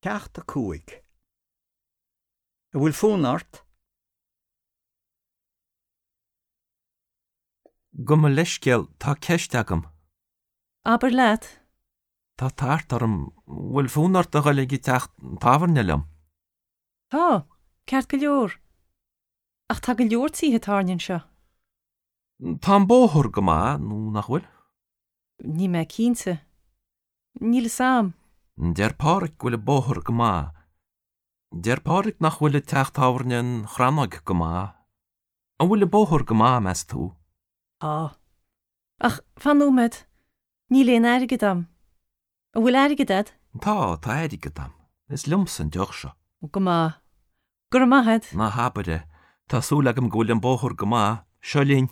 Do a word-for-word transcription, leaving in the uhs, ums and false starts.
Ceacht a cúig. An bhfuil fonn ort? Gabh mo leithscéal, tá ceist agam. Abair leat. Tá tart orm, bhfuil fonn ort a dhul ag an teach tábhairne liom? Tá, ceart go leor. Ach tá go leor tithe tábhairne anseo. Tá an bóthar go maith nó nach bhfuil? Níl mé cinnte. Níl a fhios agam. Deir Pádraig go bhfuil an bóthar go maith. Deir Pádraig nach bhfuil teach tábhairne an Chrannóig go maith. An bhfuil an bóthar go maith, meas tú? Tá. Ach fan nóiméad, níl aon airgead agam. An bhfuil airgead agat? Tá, tá airgead agam. Is liomsa an deoch seo. Go maith. Go raibh maith agat. Ná habair é. Tá súil agam go bhfuil an bóthar go maith. Seo linn.